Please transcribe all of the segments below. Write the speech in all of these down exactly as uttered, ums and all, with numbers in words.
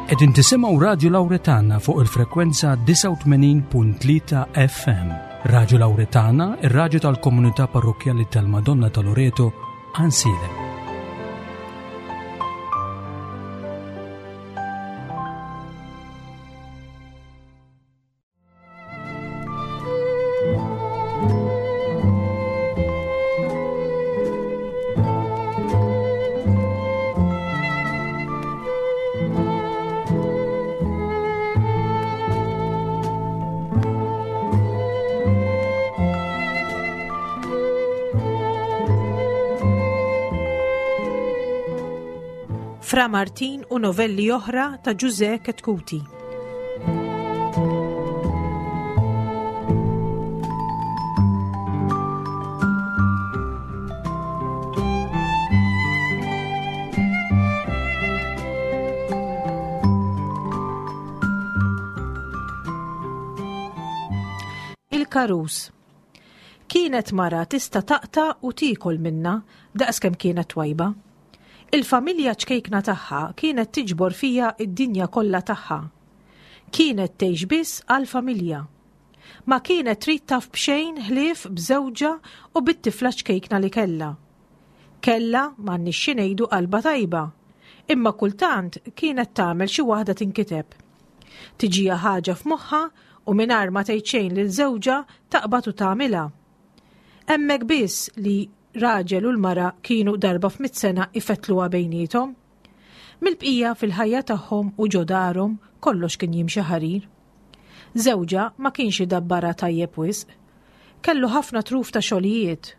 Qegħdin tisimgħu Radio Lauretana fuq il-frekwenza disgħa u tmenin punt tlieta F M. Radio Lauretana, ir-raġu tal-komunità parrokjali tal-Madonna ta' Loreto, Għajnsielem. Fra Martin u novelli oħra ta' Ġuże Chetcuti. Il-karus. Kienet mara tista' taqta' u tiekol minna daqskemm kienet twajba. Il-familja ċkejkna tagħha kienet tiġbor fija id-dinja kollha tagħha. Kienet tgħix biss għall-familja. Ma kienet trid taf b'xejn ħlief b'żewġha u bit-tifla ċkejkna li kellha. Kellha, m'għandniex xi ngħidu, qalba tajba, imma kultant kienet tagħmel xi waħda tinkiteb. Tiġiha ħaġa f'moħħa u mingħajr ma tgħid xejn lil żewġha taqbad u tagħmilha. Hemmhekk biss li raġel u l-mara kienu darba f'mitt sena ifetluha bejniethom. Mill-bqija fil-ħajja tagħhom u ġo darhom kollox kien jimxi ħarir. Żewġha ma kienx idabbara tajjeb wisq. Kellu ħafna truf ta' xogħlijiet.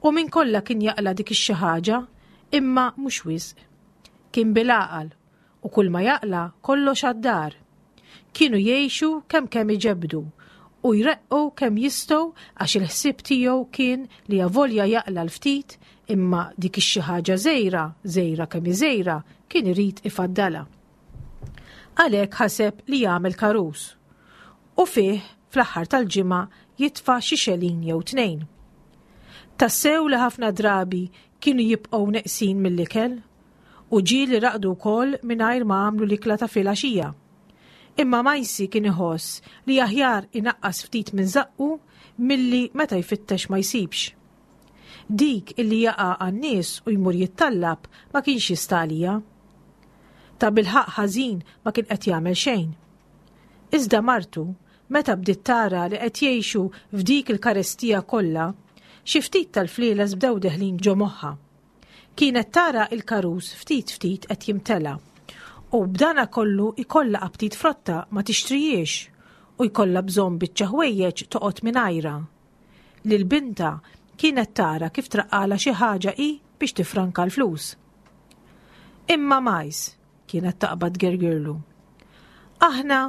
U minn kollha kien jaqla dik ix-xi ħaġa, imma mhux wisq. Kien bil-għaqal u kull ma jaqla kollox għad-dar. Kienu jgħixu kemm kemm iġebdu u jreqqu kemm jistgħu għax il-ħsieb tiegħu kien li avolja jaqla l-ftit imma dik ix-xi ħaġa żgħira, żgħira kemm żgħira, kien irid ifaddala. Għalhekk ħaseb li jagħmel karus u fih fl-aħħar tal-ġimgħa jitfa' xi xelin jew tnejn. Tassew li ħafna drabi kienu jibqgħu neqsin mill-ikel u ġieli raqdu wkoll mingħajr ma għamlu l-ikla ta' filgħaxija. Imma Majsi kien iħoss li aħjar inaqqas ftit minn żaqqu milli meta jfittex ma jsibx. Dik illi jaqa' għan-nies u jmur jittallab ma kienx jista' għalija. Ta' bilħaq ħażin ma kien qed jagħmel xejn. Iżda martu, meta bdiet tara li qed jgħixu f'dik il-karestija kollha, xi ftit tal-flieles bdew deħlin ġo moħħa. Kienet tara il-karus ftit ftit qed jimtela. U b'dana kollu ikolla aptit frotta ma tixtrijiex u jkollha bżonn biċċa ħwejjeġ toqgħod mingħajra. Lil binta kienet tara kif traqqala xi ħaġa hi biex tifranka l-flus. Imma Majs kienet taqbad gergirlu. Aħna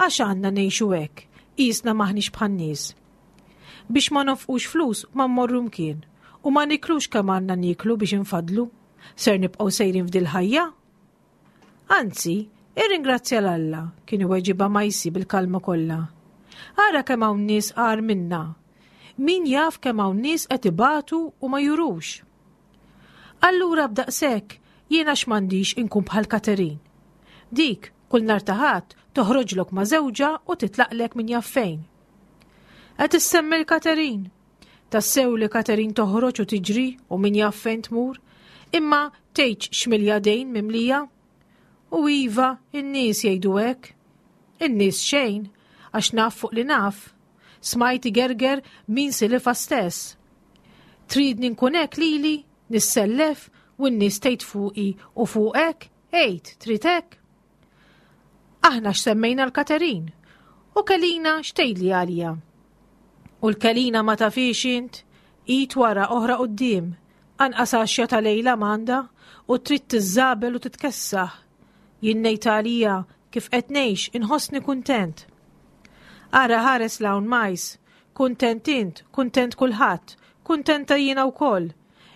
għax għandna ngħixu hekk, qisna m'aħniex bħan-nies. Biex ma nofqux flus ma mmorru mkien u ma niklux kemm għandna niklu biex infadlu, ser nibqgħu sejrin f'dil ħajja? Anzi, irringrazzja l-Alla, kien iweġibha Majsi bil-kalma kollha. Ara kemm hawn nies agħar minna. Min jaf kemm hawn nies qed ibatu u ma jurux. Allura b'daqshekk jiena x'm'għandix inkun bħal Katerin. Dik kull nhar ta' Ħadd toħroġlok ma' żewġha u titlaqlek min jaf fejn. Qed issemmi l-Katerin. Tassew li Katerin toħroġ u tiġri u min jaf fejn tmur, imma tgħidx x'milja dejn mimlija. U iva, in-nies jgħidu hekk. In-nies xejn, għax naf fuq li naf. Smajt igerger min silifa stess. Tridni nkun hekk lili, nissellef u n-nies tgħid fuqi u fuqek, għid, trid hekk? Aħna x'semmejna l-Katerin u Kelina x'tgħidli għalija. U l-Kelina ma tafix int, id wara oħra quddiem, anqas għaxja ta' lejla m'għandha u trid tiżżabel u titkessaħ. Jien ngħid għalija kif qed ngħix inħossni kuntent. Ara ħares l'hawn Majs, kuntent int, kuntent kulħadd, kuntenta jiena wkoll.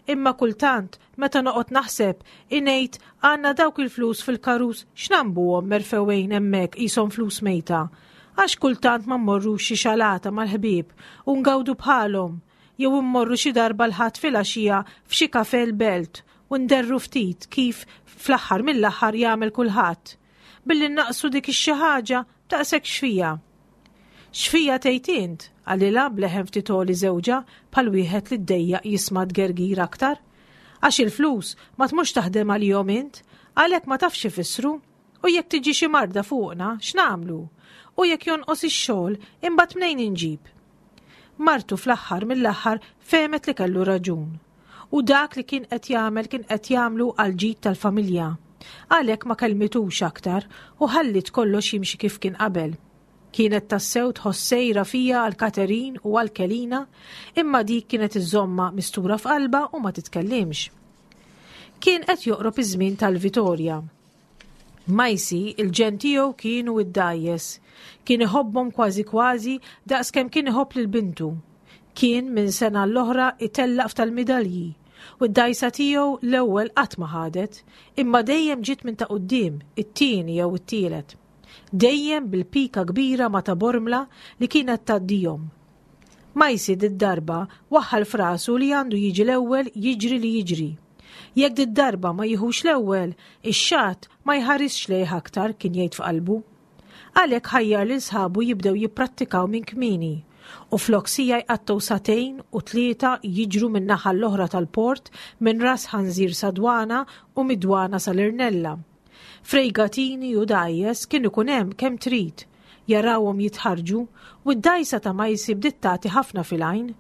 Imma kultant meta noqgħod naħseb ingħid għandna dawk il-flus fil-karus x'nambuhom merfewejn hemmhekk qishom flus mejta. Għax kultant ma mmorrux xi xalata mal-ħbieb u ngawdu bħalhom, jew immorru xi darba l-Ħadd filgħaxija f'xi kafe l-belt u nderru ftit kif fl-aħħar mill-aħħar jagħmel kulħadd. billi naqsu dik ix-xi ħaġa daqshekk x'fija. X'fija tgħid int? Qalilha b'leħen ftit għoli żewġha bħal wieħed li ddejjaq jisma' tgergir aktar. Għax il-flus ma tmurx taħdem għalihom int, għalhekk ma tafx ifissru. U jekk tiġi xi marda fuqna, x'nagħmlu? U jekk jonqos ix-xogħol, imbagħad mnejn inġib? Martu fl-aħħar mill-aħħar fehmet li kellu raġun. U dak li kien qed jagħmel kien qed jagħmlu għal ġid tal-familja. Għalhekk ma kellmitux aktar u ħallit kollox jimxi kif kien qabel. Kienet tassew tħoss sejra fija għal Katerin u għal Kelina, imma dik kienet iżomma mistura f'qalba u ma titkellimx. Kien qed joqrob iż-żmien tal-Vitorja. Majsi, il-ġen tiegħu kienu id-dajjes. Kien iħobbhom kważi kważi daqs kemm kien iħobb lil bintu. Kien minn sena l-oħra itellaq f'tal-midalji u d-dajsa tiegħu l-ewwel qatt ma ħadet, imma dejjem ġiet minn ta' quddiem, it-tieni jew it-tielet. Dejjem bil-pika kbira ma ta' Bormla li kienet tgħaddihom. Majsi did-darba waħħal frasu li għandu jiġi l-ewwel jiġri li jiġri. Jekk did-darba ma jiħux l-ewwel, ix-xatt ma jħarisx lejh aktar kien jgħid f'qalbu. Għalhekk ħajjar lil sħabu jibdew jipprattikaw minn kmieni u flok sija jqattgħu sagħtejn u tlieta jiġru minn naħa l-oħra tal-port minn ras ħanżir sa dwana u mid-dwana sal-Irnella. Frejgatini u dajjes kien ikun hemm kemm trid, jarawhom jitħarġu u d-dajsa ta' Majsi bdiet tagħti ħafna fil-għajn.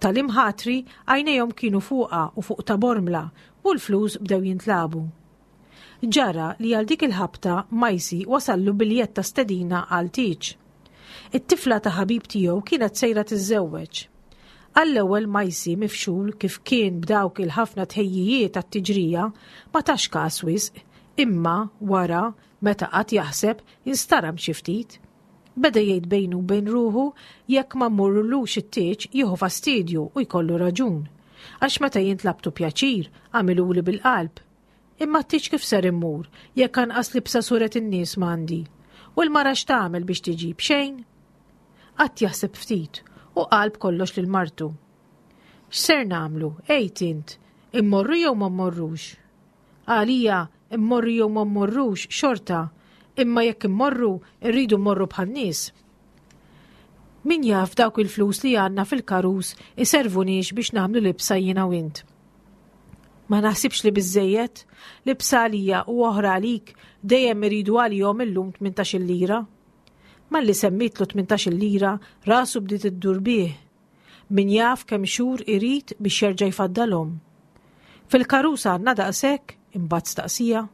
Tal-imħatri għajnejhom kienu fuqha u fuq ta' Bormla u l-flus bdew jintlabu. Ġara li għal dik il-ħabta Majsi wasallu biljett ta' stedina għal tieġ. It-tifla ta' ħabib tiegħu kienet sejra tiżżewweġ. Għall-ewwel Majsi mifxul kif kien b'dawk il-ħafna tħejjijiet għat-tiġrija ma tax każ wisq, imma wara meta qatt jaħseb instaram xi ftit. Beda jgħid bejnu u bejn ruħu jekk ma mmurrulux it-tieġ jieħu fastidju u jkollu raġun. Għax meta jintlabtu pjaċir għamiluli bil-qalb. Imma t-tieġ kif ser immur jekk anqas libsa suret in-nies m'għandi. U l-mara x'tagħmel biex tiġi b'xejn? Qatt jaħseb ftit u qalb kollox lil martu. X'ser nagħmlu? Ejt int, immorru jew ma mmorrux? Għalija immorru jew ma mmorrux xorta, imma jekk immorru irridu mmorru bħan-nies. Min jaf dawk il-flus li għandna fil-karus iservuniex biex nagħmlu libsa jiena u int. Ma naħsibx li biżejjed, libsa għalija u oħra għalik dejjem iridu għalihom illum tmintax-il lira. Malli semmitlu tmintax-il lira rasu bdiet iddur bih. Min jaf kemm xhur irid biex jerġa' jfaddalhom. Fil-karus għandna daqshekk, imbagħad staqsija.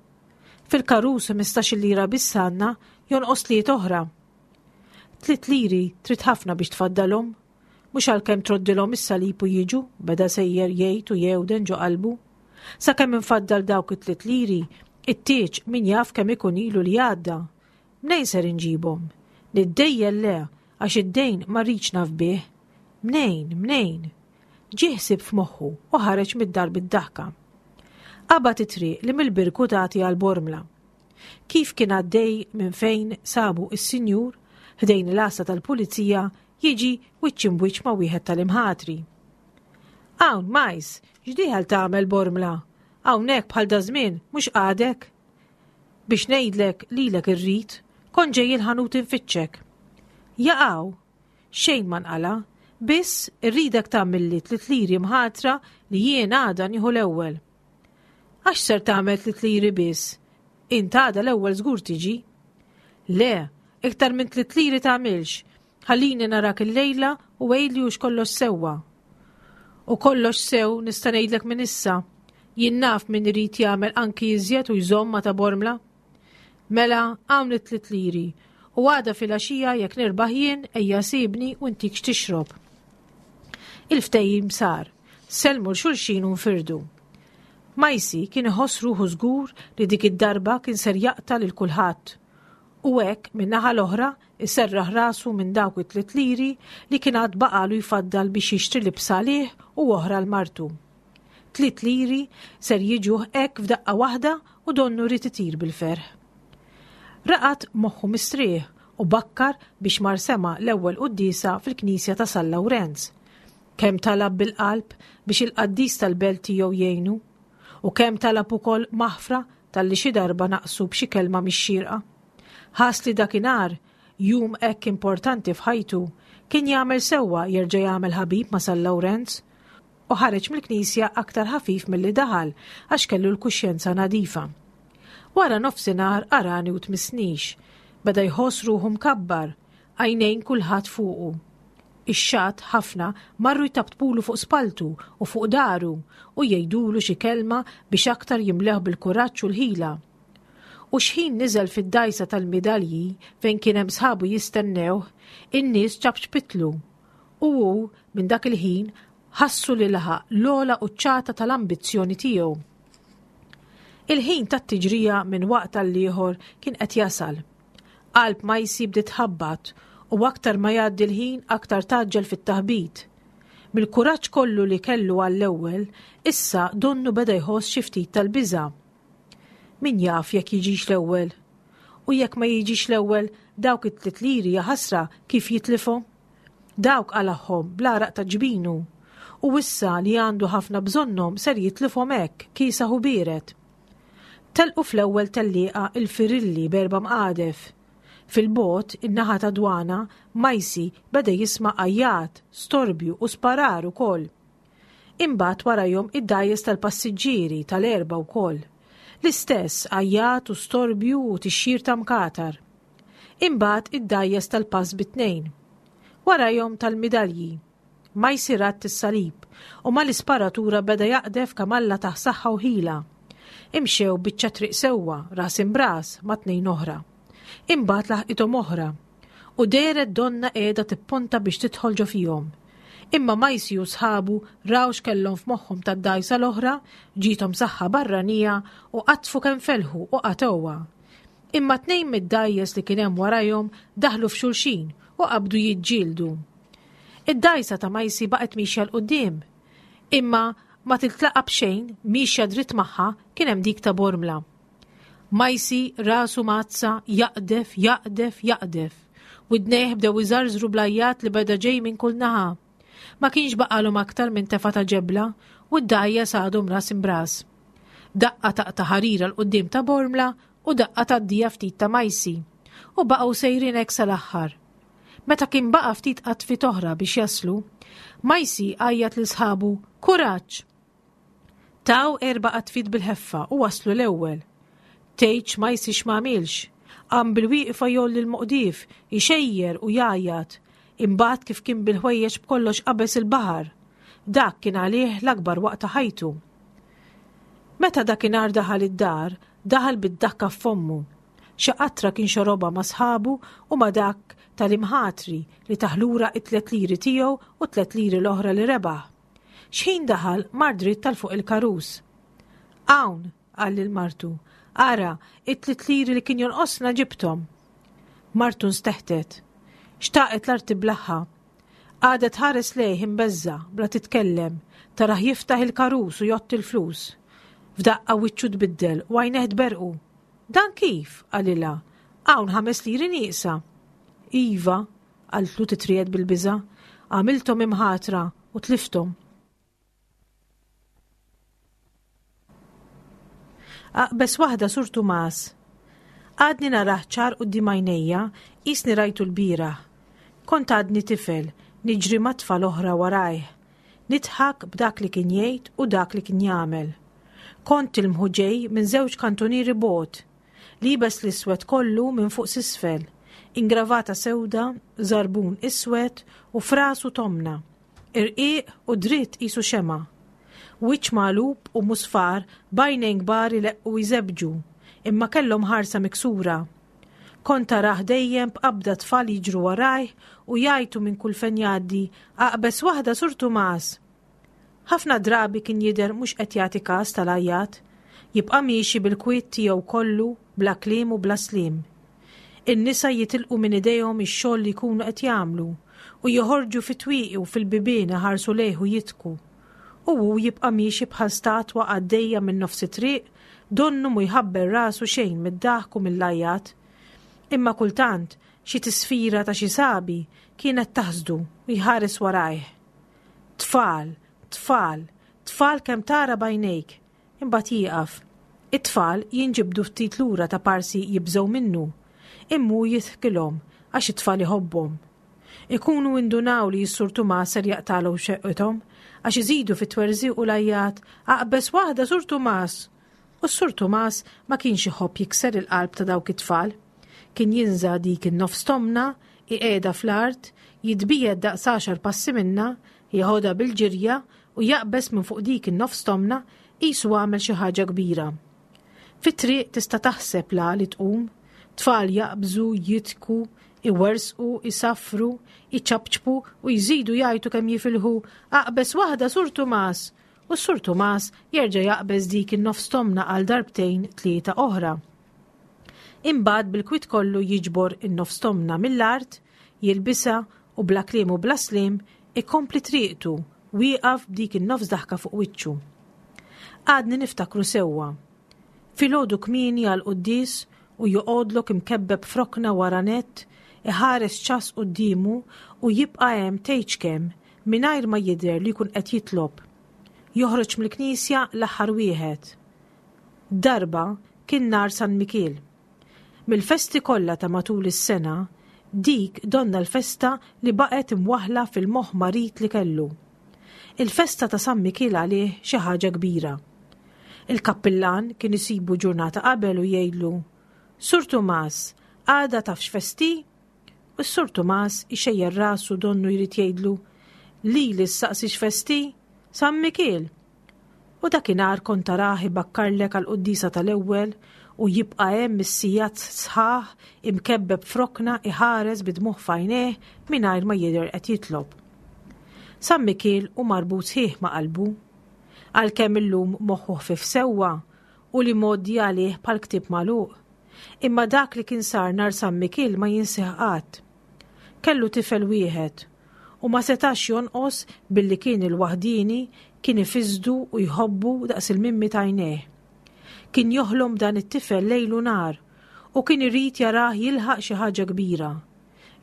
Fil-karus ħmistax-il lira biss għandna, jonqos tliet oħra. Tliet liri trid ħafna biex tfaddalhom. Mhux għalkemm troddilhom is-salib u jiġu, beda sejjer jgħid u jewden ġo qalbu. Sakemm infaddal dawk it-tliet liri, it-tieġ min jaf kemm ikun ilu li għadda. Mnejn ser inġibhom? Niddejjel le, għax id-dejn ma rridx naf bih. Mnejn, mnejn? Ġie ħsieb f'moħħu u ħareġ mid-dar bid-daħka. Qabad it-triq li mill-Birku tagħti għal Bormla. Kif kien għaddej minn fejn sabu is-sinjur, ħdejn l-għassa tal-pulizija, jiġi wiċċ imbwiċċ ma' wieħed tal-imħatri. Hawn, Majs, x'dieħel tagħmel Bormla? Hawnhekk bħal dażmien mhux għadek? Biex ngħidlek lilek irrid, kont ġej il-ħanut infittxek. Jaqaw, xejn ma nqala, biss irridek tagħmilli tliet liri mħatra li jien għada nieħu l-ewwel. Għax ser tagħmel tliet liri biss? Int għada l-ewwel żgur tiġi. Le, iktar minn tliet liri tagħmilx. Ħallini narak il-lejla u għidli hux kollox sewwa. U kollox sew nista' ngħidlek minn issa. Jien naf min irid jagħmel anki iżjed u jżomm ma ta' Bormla. Mela hawn it-tliet liri u għada filgħaxija jekk nirbaħ jien ejja sibni u ntik x'tixrob. Il-ftehim sar, sellmu 'l xulxin u nfirdu. Majsi kien iħoss ruħu żgur li dik id-darba kien ser jaqta' lil kulħadd. U hekk min-naħa l-oħra iserraħ rasu minn dawk it-tliet liri li kien għad baqalu jfaddal biex jixtri libsa għalih u oħra l martu. Tliet liri ser jiġuh hekk f'daqqa waħda u donnu ried itir bil-ferħ. Raqad moħħu mistrieħ u bakkar biex mar sema l-ewwel quddiesa fil-knisja ta' San Lawrenz. Kemm talab bil-qalb biex il-qaddis tal-belt tiegħu jgħinu u kemm talab ukoll maħfra talli xi darba naqsu b'xi kelma mhix xierqa. Ħass li dakinhar, jum hekk importanti f'ħajtu, kien jagħmel sewwa jerġa' jagħmel ħabib ma' San Lawrenz u ħareġ mill-knisja aktar ħafif milli daħal għax kellu l-kuxjenza nadifa. Wara nofsinhar arani u tmissnix, beda jħoss ruħu mkabbar, għajnejn kulħadd fuqu. Ix-xatt ħafna marru jtabtbulu fuq spaltu u fuq daru u jgħidulu xi kelma biex aktar jimleħ bil-kuraġġ u l-ħila. U xħin niżel fid-dajsa tal-midalji fejn kien hemm sħabu jistennewh, in-nies ċapċpitlu. U hu minn dak il-ħin ħassu li laħaq l-ogħla quċċata tal-ambizzjoni tiegħu. Il-ħin tat-tiġrija minn waqt għal ieħor kien qed jasal. Qalb Majsi bdiet tħabbat u aktar ma jgħaddi l-ħin aktar tgħaġġel fit-taħbit. Mill-kuraġġ kollu li kellu għall-ewwel, issa donnu beda jħoss xi ftit tal-biża'. Min jaf jekk jiġix l-ewwel? U jekk ma jiġix l-ewwel, dawk it-tliet liri jaħasra kif jitlifhom? Dawk qalagħhom bl-għaraq ta' ġbinu. U issa li għandu ħafna bżonnhom ser jitlifhom hekk kiesaħ u biered. Telqu fl-ewwel tellieqa il-firilli b'erba' mqadef. Fil-bogħod, in-naħa ta' Dwana, Majsi beda jisma' għajjat, storbju u sparar ukoll. Imbagħad warajhom id-dgħajjes tal-passiġġieri tal-erba' wkoll. L-istess għajjat u storbju u tixjir ta' mkatar. Imbagħad id-dgħajjes tal-pass bit-tnejn. Warajhom tal-midalji. Majsi radd is-salib u mal-isparatura beda jaqdef kemm Alla tah saħħa u ħila. Imxew biċċa triq sewwa, ras imbras, ma' tnejn oħra. Imbagħad laħqithom oħra u dehret donna qiegħda tipponta biex tidħol ġo fihom. Imma Majsi u sħabu raw x'kellhom f'moħħhom tad-dgħajsa l-oħra, ġiethom saħħa barranija u qatfu kemm felħu u qatgħuha. Imma tnejn mid-dgħajjes li kien hemm warajhom daħlu f'xulxin u qabdu jiġġieldu. Id-dgħajsa ta' Majsi baqgħet miexja 'l quddiem. Imma ma tiltlaqa' b'xejn, miexja dritt magħha kien hemm dik ta' Bormla. Majsi rasu mazza, jaqdef, jaqdef, jaqdef. Widnejh bdew iżarżru bl-għajjat li beda ġej minn kull naħa. Ma kienx baqalhom aktar minn tefa ta' ġebla u d-dgħajjes għadhom ras imbras. Daqqa taqta' ħarira 'l quddiem ta' Bormla u daqqa tgħaddija ftit ta' Majsi. U baqgħu sejrin hekk sal-aħħar. Meta kien baqa' ftit qatfit oħra biex jaslu, Majsi għajjat lil sħabu, Kuraġġ! Taw erba' qatfit bil-ħeffa u waslu l-ewwel. Tgħidx Majsi x'm'għamilx. Qam bil-wieqfa jgħolli l-moqdief, ixejjer u jgħajjat. Imbagħad kif kien bil-ħwejjeġ b'kollox qabeż il-baħar. Dak kien għalih l-akbar waqt ta' ħajtu. Meta dakinhar daħal id-dar, daħal bid-dakka f'fommu. Xi qatra kien xorobha ma' sħabu u ma' dak tal-imħatri li taħlura it-tliet liri tiegħu u tliet liri l-oħra li rebaħ. Xħin daħal mar dritt tal fuq il-karus. Hawn, qal lil martu, ara, it-tliet liri li kien jonqosna ġibthom. Martu nsteħtet. Xtaqet l-art tiblaħħa. Qagħdet tħares lejh imbeżża, bla titkellem, tarah jiftaħ il-karus u jgħodd il-flus. F'daqqa wiċċu tbiddel u għajnejh tberqu. Dan kif? Qalilha. Hawn ħames liri nieqsa. Iva, qaltlu titriegħed bil-biża', għamilthom imħatra u tlifthom. Aqbes waħda Sur Tumas. Għadni narah ċar quddiem għajnejja, qisni rajtu l-bieraħ. Kont għadni tifel, niġri ma' tfal oħra warajh. Nidħak b'dak li kien jgħid u dak li kien jagħmel. Kont tilmħu ġej minn żewġ kantunieri bogħod. Libes l-iswed kollu minn fuq s'isfel, ingravata sewda, żarbun iswed u frasu tomna. Irqiq u dritt qisu xemgħa. Wiċċ magħlub u musfar b'għajnejn kbar ileqqu jżebbġu, imma kellhom ħarsa miksura. Kont tarah dejjem b'qabda tfal jiġru warajh u jgħajtu minn kull fejn jgħaddi, aqbeż waħda Sur Tumas! Ħafna drabi kien jidher mhux qed jagħti kas tal-għajjat, jibqa' miexi bil-kwiet tiegħu kollu bla kliem u bla sliem. In-nisa jitilqu minn idejhom ix-xogħol li jkunu qed jagħmlu u joħorġu fit-twieqi u fil-bibien iħarsu lejh u jidhku. U hu jibqa' miexi bħal statwa għaddejja minn nofs it-triq, donnu mhu jħabbel rasu xejn mid-daħk u mill-għajjat. Imma kultant xi tisfira ta' xi sabi kienet taħsdu u jħares warajh. Tfal, tfal, tfal kemm tara b'għajnejk. Imbagħad jieqaf. It-tfal jinġibdu ftit lura ta' parsi jibżgħu minnu. Imma hu jidħkilhom għax it-tfal iħobbhom. Ikunu indunaw li s-Sur Tumas ser jaqtagħlhom xefqithom għax iżidu fit-twerżiq u l-għajjat, "Aqbeż waħda, Sur Tumas!" U s-Sur Tumas ma kienx iħobb jikser il-qalb ta' dawk it-tfal. Kien jinża' dik in-nofs tomna, iqiegħda fl-art, jitbiegħed daqs għaxar passi minna, jeħodha bil-ġirja u jaqbeż minn fuq dik in-nofs tomna qisu għamel xi ħaġa kbira. Fit-triq tista' taħseb la li tqum, tfal jaqbżu, jidħku, iwerżqu, isaffru, iċapċpu u jżidu jgħajtu kemm jifilħu, "Aqbeż waħda, Sur Tumas!" U s-Sur Tumas jerġa' jaqbeż dik in-nofs tomna għal darbtejn tlieta oħra. Imbagħad bil-kwit kollu jiġbor in-nofs tomna mill-art, jilbisha u bla kliem u bla sliem ikompli triqtu wieqaf b'dik in-nofs daħka fuq wiċċu. Għadni niftakru sewwa. Filgħodu kmieni għall-quddies u joqgħodlok imkebbeb f'rokna wara nett, iħares ċass quddiemu u jibqa' hemm tgħidx kemm mingħajr ma jidher li jkun qed jitlob. Joħroġ mill-knisja l-aħħar wieħed. Darba kien nhar San Mikiel. Mill-festi kollha ta' matul is-sena, dik donna l-festa li baqgħet imwaħla fil-moħħ marid li kellu. Il-festa ta' San Mikiel għalih xi ħaġa kbira. Il-kappillan kien isibu ġurnata qabel u jgħidlu, "Sur Tumas, għada taf x'festa hi?" U s-Sur Tumas ixejjer rasu donnu jrid jgħidlu, "Lili ssaqsi x'festa hi? San Mikiel." U dakinhar kont tarah ibakkarlek għall-quddiesa tal-ewwel u jibqa' hemm is-sigħat sħaħ imkebbeb f'rokna iħares bid-dmugħ f'għajnejh mingħajr ma jidher qed jitlob. San Mikiel hu marbut sħiħ ma' qalbu. Għalkemm illum moħħu ħfif sewwa u l-imgħoddi għalih bħal ktieb magħluq. Imma dak li kien sar nhar San Mikiel ma jinsih qatt. Kellu tifel wieħed u ma setax jonqos billi kien il-waħdini kien ifisdu u jħobbu daqs il-mimmi t'għajnejh. Kien joħlom dan it-tifel lejl u nhar u kien irid jarah jilħaq xi ħaġa kbira.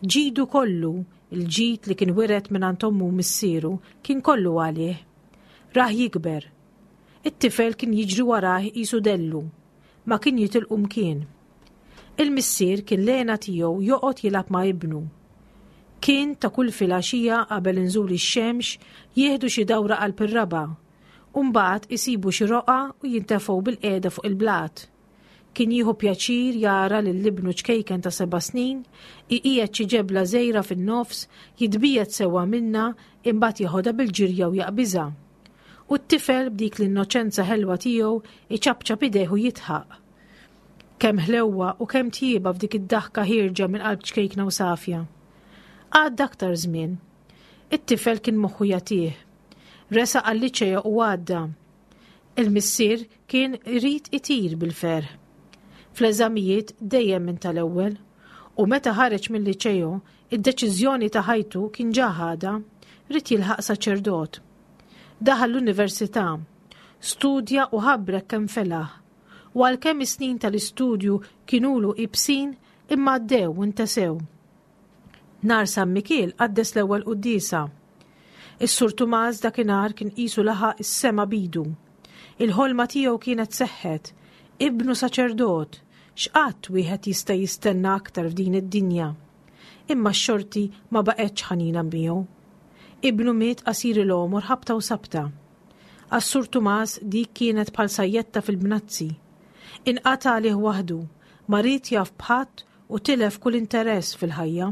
Ġidu kollu, il-ġid li kien wiret minn ommu missieru, kien kollu għalih. Rah jikber. It-tifel kien jiġri warah qisu dellu, ma kien jitilqu mkien. Il-missier kien l-hena tiegħu joqgħod jilgħab ma' ibnu. Kien ta' kull filgħaxija qabel inżul ix-xemx jieħdu xi dawra qalb ir-raba', u mbagħad isibu xi roqgħa u jintefgħu bil-qiegħda fuq il-blat. Kien jieħu pjaċir jara lil ibnu ċkejken ta' seba' snin, iqiegħed xi ġebla żgħira fin-nofs, jitbiegħed sewwa minna, imbagħad jeħodha bil-ġirja u jaqbiżha. U t-tifel b'dik l-innoċenza ħelwa tiegħu iċapċap idejh u jidħaq. Kemm ħlewwa u kemm tjieba f'dik id-daħka ħierġa minn qalb ċkejkna u safja. Għadda aktar żmien. It-tifel kien moħħu jagħtih. Resaq għal-liċeo u għadda. Il-missier kien irid itir bil-ferħ. Fl-eżamijiet dejjem minn tal-ewwel u meta ħareġ mill-liċeo, id-deċiżjoni ta' ħajtu kien ġa ħadha, ried jilħaq saċerdot. Daħal l-università, studja u ħabrek kemm felaħ. U għalkemm is-snin tal-istudju kienulu iebsin, imma għaddew u ntesew. Nhar San Mikiel qaddes l-ewwel quddiesa. Is-Sur Tumas dakinhar kien qisu laħaq is-sema b'idu. Il-ħolma tiegħu kienet seħħet, ibnu saċerdot, x'qatt wieħed jista' jistenna aktar f'din id-dinja. Imma x-xorti ma baqgħetx ħanina miegħu. Ibnu miet qasir il-għomor ħabta u sabta. Għas-Sur Tumas dik kienet bħal sajjetta fil-bnazzi. Inqata' għalih waħdu, ma ried jaf b'ħadd u tilef kull interess fil-ħajja.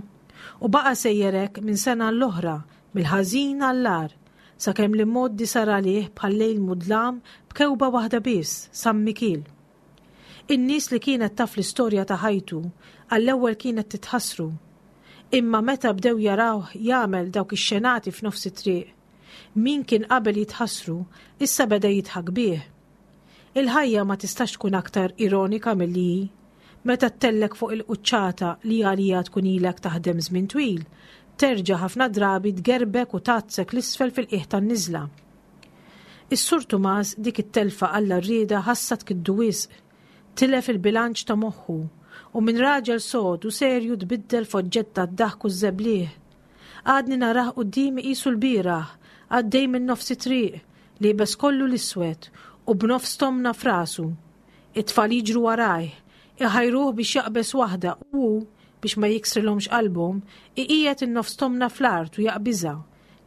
U baqa' sejjer hekk minn sena l-oħra, mill-ħażin għall-agħar, sakemm l-imgħoddi sar għalih bħal lejl mudlam b'kewba waħda biss, San Mikiel. In-nies li kienet taf l-istorja ta' ħajtu għall-ewwel kienet titħassru. Imma meta bdew jarawh jagħmel dawk ix-xenati f'nofs it-triq, min kien qabel jitħassru issa beda jidħak bih. Il-ħajja ma tistax tkun aktar ironika milli hi. Meta ttellgħek fuq il-quċċata li għalija tkun ilek taħdem żmien twil, terġa' ħafna drabi tgerbek u tgħaddek 'l isfel fil-qiegħ tan-niżla. Is-Sur Tumas dik it-telfa għal rieda ħassa tkiddu wisq, tilef il-bilanċ ta' moħħu u minn raġel sod u serju tbiddel f'oġġett tad-daħk u żebliħ. Għadni narah quddiemi qisu l-bieraħ, għaddej minn nofs it-triq, liebes kollu l-iswed u b'nofs tomna f'rasu. It-tfal jiġru warajh, Iħajruh biex jaqbeż waħda u hu, biex ma jiksrilhomx qalbhom, iqiegħed in-nofs tomna fl-art u jaqbiżha,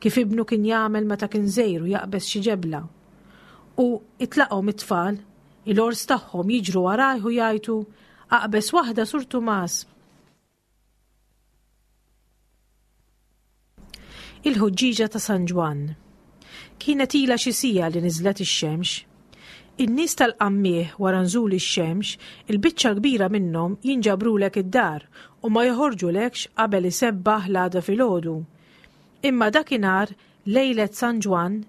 kif ibnu kien jagħmel meta kien żgħir u jaqbeż xi ġebla. U itlaqhom it-tfal, il-ors tagħhom jiġru warajh u jgħajtu, aqbeż waħda Sur Tumas. Il-ħuġġieġa ta' San Ġwann. Kienet ilha xi siegħa li niżlet ix-xemx. In-nies tal-qammieħ wara nżul ix-xemx, il-biċċa l-kbira minnhom jinġabrulek id-dar u ma joħorġulekx qabel isebbaħ l-għada filgħodu. Imma dakinhar, lejlet San Ġwann,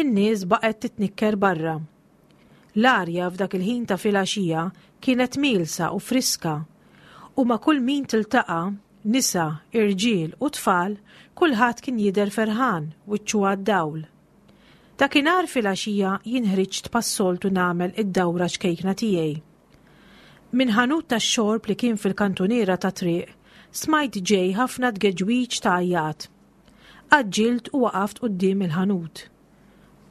in-nies baqgħet titnikker barra. L-arja f'dak il-ħin ta' filgħaxija kienet mielsa u friska, u ma' kull min tiltaqa', nisa, irġiel u tfal, kulħadd kien jidher ferħan, wiċċu għad-dawl. Dakinhar filgħaxija jien ħriġt bħas-soltu nagħmel id-dawra ċkejkna tiegħi. Minn ħanut tax-xorb li kien fil-kantuniera tat-triq, smajt ġej ħafna tgeġwiġ ta' għajjat. Għaġġilt u waqaft quddiem il-ħanut.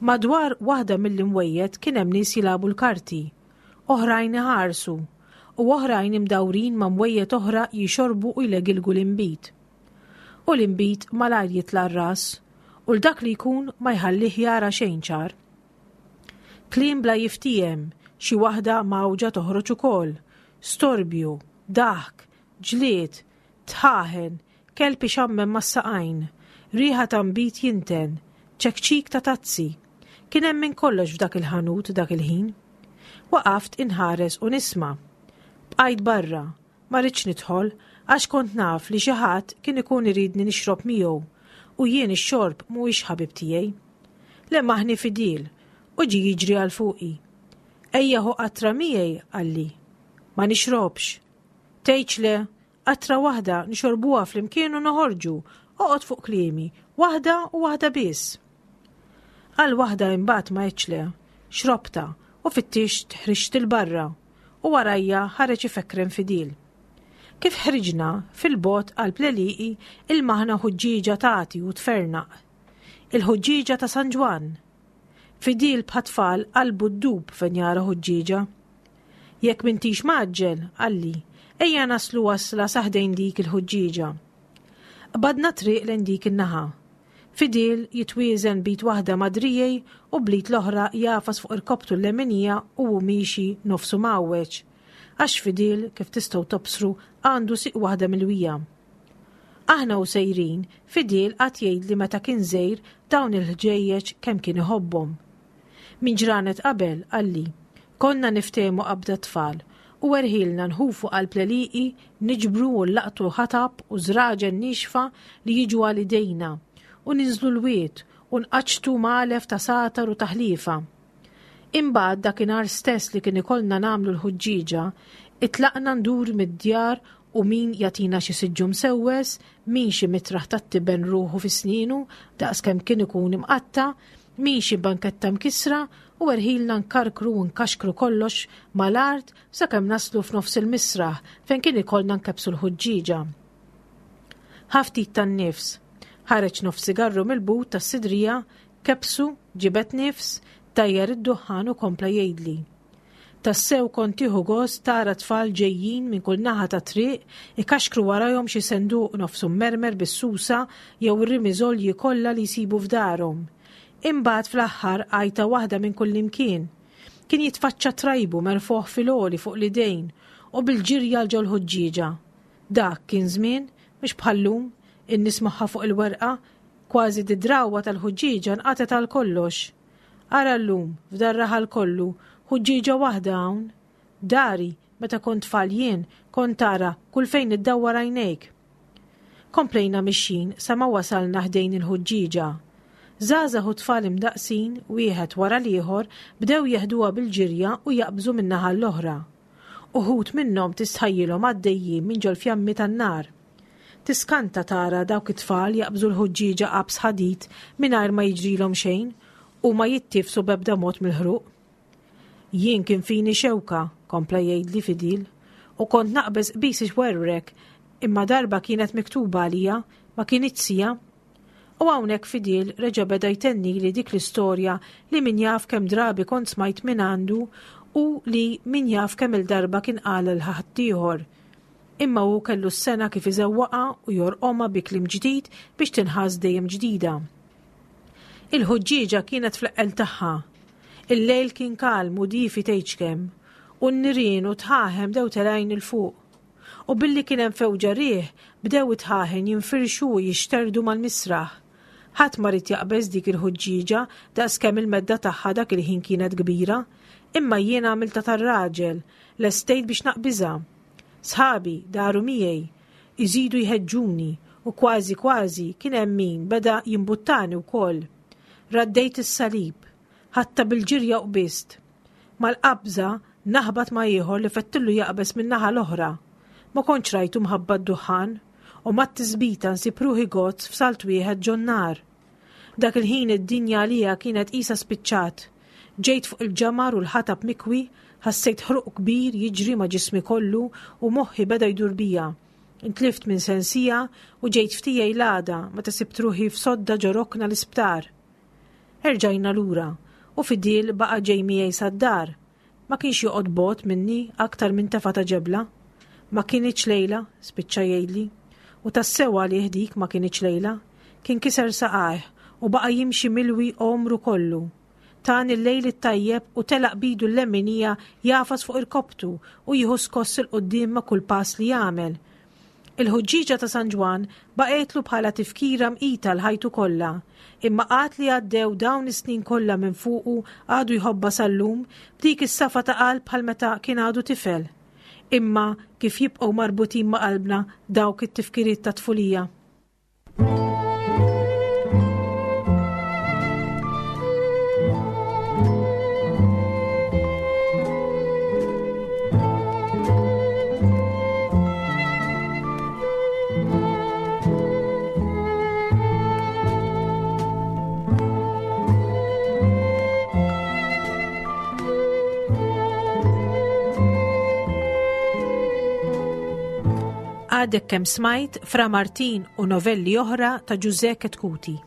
Madwar waħda mill-imwejjed kien hemm nies jilagħbu l-karti, oħrajn iħarsu, u oħrajn imdawrin ma' mwejjed oħra jixorbu u jlegilgu l-inbid. U l-inbid malajr jitla' r-ras, u 'l dak li jkun ma jħallih jara xejn ċar. Kliem bla jiftiehem, xi waħda mgħawġa toħroġ ukoll, storbju, daħk, ġlied, tħaħen, kelb ixammem mas-saqajn, riħa ta' nbid jinten, ċekċik ta' tazzi. Kien hemm minn kollox f'dak il-ħanut dak il-ħin. Waqaft inħares u nisma'. Bqajt barra, ma ridtx nidħol għax kont naf li xi ħadd kien ikun iridni nixrob miegħu u jien ix-xorb mhuwiex ħabib tiegħi. Lemmaħni fidil u ġie jiġri għal fuqi. Ejja ħu qatra miegħi, qalli. Ma nixrobx. Tgħidx le, qatra waħda nixorbuha flimkien u noħorġu, oqgħod fuq kliemi, waħda u waħda biss. Għal waħda imbagħad ma għedtx le, xrobtha u fittixt ħriġt 'il barra u warajja ħareġ ifekrem fidil. Kif ħriġna, fil-bogħod qalb l-għelieqi ilmaħna ħuġġieġa tagħti u tfernaq. Il-ħuġġieġa ta' San Ġwann. Fidil bħat-tfal qalbu ddub fejn jara ħuġġieġa. Jekk m'intix mgħaġġel, qalli, ejja naslu wasla sa ħdejn dik il-ħuġġieġa. Qbadna triq lejn dik in-naħa. Fidil jitwieżen b'id waħda ma' driegħi u bl-id l-oħra jagħfas fuq irkobtu l-leminija u hu miexi nofsu mgħawweġ. Għax Fidil, kif tistgħu tobsru, għandu sieq waħda milwija. Aħna u sejrin, Fidil qagħad jgħidli meta kien żgħir dawn il-ħġejjeġ kemm kien iħobbhom. Minn ġranet qabel, qalli, konna niftehmu qabda tfal u erħilna nħufu qalb l-għelieqi, niġbru u nlaqtu ħatab u żraġen niexfa li jiġu għal idejna u ninżlu l-wied u nqaċċtu magħlef ta' satar u taħlifa. Imbagħad dakinhar stess li kien ikollna nagħmlu l-ħuġġieġa, itlaqna ndur mid-djar u min jagħtina xi siġġu msewwes, min xi mitraħ tat-tiben ruħu fi snienu daqskemm kien ikun imqatta', min xi banketta mkissra u erħilna nkarkru u nkaxkru kollox mal-art sakemm naslu f'nofs il-misraħ fejn kien ikollna nkebbsu l-ħuġġieġa. Ħa ftit tan-nifs. Ħareġ nofs sigarru mill-but tas-sidrija, kebbsu, ġibed nifs, tajjar id-duħħan u kompla jgħidli. Tassew kont tieħu gost tara tfal ġejjin minn kull naħa ta' triq ikaxkru warajhom xi senduq nofsu mmermer bis-susa jew ir-rimiżolji kollha li jsibu f'darhom. Imbagħad fl-aħħar għajta waħda minn kullimkien. Kien jitfaċċa trajbu merfugħ fil-għoli fuq l-idejn u bil-ġirja 'l ġol-ħuġġieġa. Dak kien żmien, mhux bħal-lum, in-nies moħħha fuq il-werqa, kważi d-drawwa tal-ħuġġieġa nqatgħet għal kollox. Ara llum, f'dar-raħal kollu, ħuġġieġa waħda hawn. Dari, meta kont tfal jien, kont tara kull fejn iddawwar għajnejk. Komplejna mixjin sa ma wasalna ħdejn il-ħuġġieġa. Żgħażagħ u tfal imdaqqsin, wieħed wara l-ieħor, bdew jeħduha bil-ġirja u jaqbżu minn naħa l-oħra. Uħud minnhom tistħajjilhom għaddejjin minn ġol-fjammi tan-nar. Tiskanta tara dawk it-tfal jaqbżu l-ħuġġieġa qabż ħadid mingħajr ma jiġrilhom xejn u ma jittifsu b'ebda mod mill-ħruq. Jien kien fini xewka, kompla jgħidli Fidil, u kont naqbeż qbis ixwerwrek, imma darba kienet miktuba għalija, ma kinitx sija. U hawnhekk Fidil reġa' beda jtennili dik l-istorja li min jaf kemm drabi kont smajt minn għandu u li min jaf kemm-il darba kien qal lil ħaddieħor. Imma hu kellu s-sengħa kif iżewwaqha u jorqomha bi kliem ġdid biex tinħass dejjem ġdida. Il-ħuġġieġa kienet fl-eqqel tagħha. Il-lejl kien kalm u diefi tgħidx kemm, u n-nirien u dħaħen bdew telgħin 'il fuq. U billi kien hemm fewġa riħ, bdew id-dħaħen jinfirxu u jixterdu mal-misraħ. Ħadd ma ried jaqbeż dik il-ħuġġieġa daqskemm il-medda tagħha dak il-ħin kienet kbira, imma jiena għamiltha tar-raġel, lestejt biex naqbiżha. Sħabi daru miegħi, iżidu jħeġġuni u kważi kważi kien hemm min beda jimbuttani wkoll. Raddejt is-salib, ħadtha bil-ġirja u qbiżt. Mal-qabża naħbat ma' ieħor li fettillu jaqbeż min-naħa l-oħra. Ma kontx rajtu mħabba d-duħħan u mat-tisbita nsib ruħi gozz f'salt wieħed ġon-nar. Dak il-ħin id-dinja għalija kienet qisha spiċċat. Ġejt fuq il-ġamar u l-ħatab mikwi, ħassejt ħruq kbir jiġri ma' ġismi kollu u moħħi beda jdur bija. Intlift minn sensija u ġejt f'tiegħi l-għada meta sibt ruħi f'sodda ġo rokna l-isptar. Erġajna lura u Fidil baqa' ġej miegħi sad-dar. Ma kienx joqgħod bogħod minni aktar minn tefa ta' ġebla. Ma kinitx lejla, spiċċa jgħidli. U tassew għalih dik ma kinitx lejla. Kien kiser saqajh u baqa' jimxi milwi għomru kollu. Tani l-lejl it-tajjeb u telaq b'idu l-leminija jagħfas fuq irkopptu u jieħu skoss 'il quddiem ma' kull pass li jagħmel. Il-ħuġġieġa ta' San Ġwann baqgħetlu bħala tifkira mqita l-ħajtu kollha, imma għad li għaddew dawn is-snin kollha minn fuqu għadu jħobbha sal-lum b'dik is-safa ta' qalb bħal meta kien għadu tifel. Imma kif jibqgħu marbutin ma' qalbna dawk it-tifkiriet ta' tfulija. Għadek kemm smajt Fra Martin u novelli oħra ta' Ġużè Chetcuti.